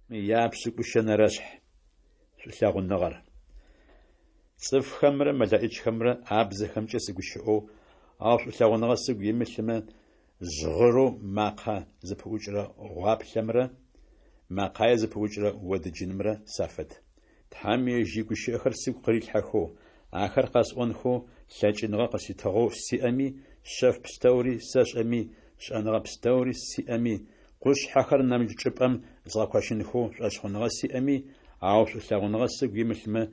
Япшӏыкӏущэнэрэшъхь. Шӏулъэгъуныгъэр. Цӏыфхэмрэ мэлэӏичхэмрэ абзэхэмкӏэ сыгущыӏэу, ау шӏулъэгъуныгъэ сыгу имылъымэ, жъгъырыу макъэ зыпыӏукӏырэ гъуаплъэмрэ мэкъае зыпыӏукӏырэ одыджынымрэ сафэд. Тхьэм ежь игущыӏэхэр сыгу къырилъхьэхэу, ахэр къэсӏонхэу лъэкӏыныгъэ къыситыгъэу сиӏэми, шъэф пстэури сэшӏэми, шӏэныгъэ пстэури сиӏэми, къушъхьэхэр нэмыкӏ чӏыпӏэм згъэкощынхэу шӏошъхъуныгъэ сиӏэми, ау шӏулъэгъуныгъэ сыгу имылъмэ,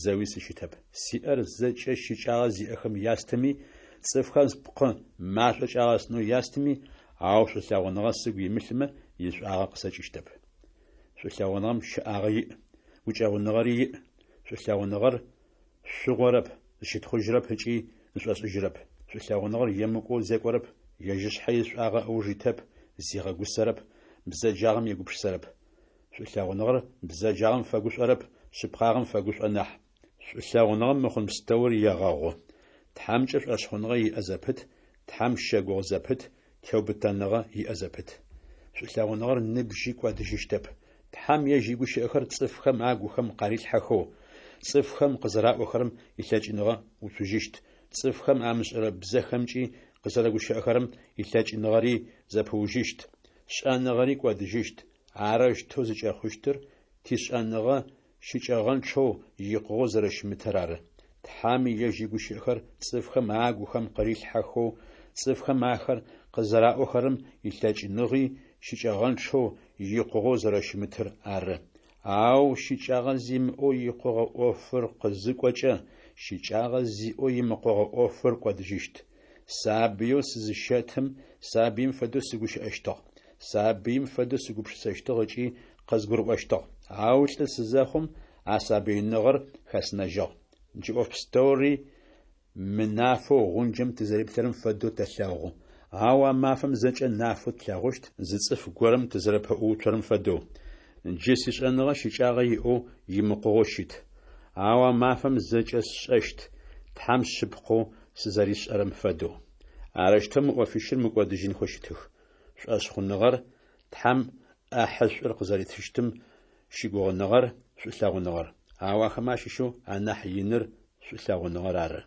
зэуи сыщытэп. Сиӏэр зэкӏэ щыкӏагъэ зиӏэхэм ястыми, цӏыфхэм спкъы машӏо кӏагъэстынэу ястыми, ау шӏулъэгъуныгъэ сыгу имылъмэ, ишӏуагъэ къысэкӏыщтэп. Шӏулъэгъуныгъэм щэӏагъэ иӏ, гукӏэгъуныгъэри иӏ. Шӏулъэгъуныгъэр шъугъорэп, зыщытхъужьырэп ыкӏи зышӏошӏыжьырэп. Шӏулъэгъуныгъэр емыкӏоу зекӏорэп, ежь ышъхьэ ишӏуагъэ ыуж итэп, зигъэгусэрэп, бзэджагъэм егупшысэрэп. Шӏулъэгъуныгъэр бзэджагъэм фэгушӏорэп, шъыпкъагъэм фэгушӏо нахь. Шӏулъэгъуныгъэм мыхъун пстэур егъэгъу. Тхьэмкӏэ шӏошъхъуныгъэ иӏэ зэпыт, Тхьэм щэгугъы зэпыт, теубытэныгъэ иӏэ зэпыт. Шӏулъэгъуныгъэр ныбжьи кӏодыжьыщтэп. Тхьэм ежь игущыӏэхэр цӏыфхэм агухэм къарилъхьэхэу, цӏыфхэм къызэраӏохэрэм илъэкӏыныгъэ уцужьыщт, цӏыфхэм амышӏэрэ бзэхэмкӏи къызэрэгущыӏэхэрэм илъэкӏыныгъэри зэпыужьыщт, шӏэныгъэри кӏодыжьыщт. Арэущтэу зыкӏэхъущтыр тишӏэныгъэ щыкӏэгъэнчъэу, икъугъэу зэрэщымытыр ары. Тхьэм ежь игущыӏэхэр цӏыфхэм агухэм къарилъхьэхэу, цӏыфхэм ахэр къызэраӏохэрэм илъэкӏыныгъи щыкӏэгъэнчъэу, икъугъэу зэрэщымытыр ары. Ау щыкӏагъэ зимыӏэу икъугъэ ӏофыр къызыкӏокӏэ, щыкӏагъэ зиӏэу имыкъугъэ ӏофыр кӏодыжьыщт. Сабыеу сызыщэтым сабыим фэдэу сыгущыӏэщтыгъ, сабыим фэдэу сыгупшысэщтыгъ ыкӏи къызгурыӏощтыгъ. Ау лӏы сызэхъум, а сабыиныгъэр хэсынэжьыгъ. Джы ӏоф пстэури мынафэу гъунджэм тызэриплъырэм фэдэу тэлъэгъу, ау а мафэм зэкӏэ нафэу тлъэгъущт, зы цӏыф горэм тызэрэпэӏууцорэм фэдэу. Джы сишӏэныгъэ щыкӏагъэ иӏэу, имыкъугъэу щыт. Ау а мафэм зэкӏэ сшӏэщт, Тхьэм шъыпкъэу сызэришӏэрэм фэдэу. Арэущтэу мы ӏофищыр мыкӏодыжьынхэу щытых: шӏошъхъуныгъэр, Тхьэм ӏэхьышӏур къызэритыщтым щыгугъыныгъэр, шӏулъэгъуныгъэр. Ау ахэмэ ащыщэу анахь иныр шӏулъэгъуныгъэр ары.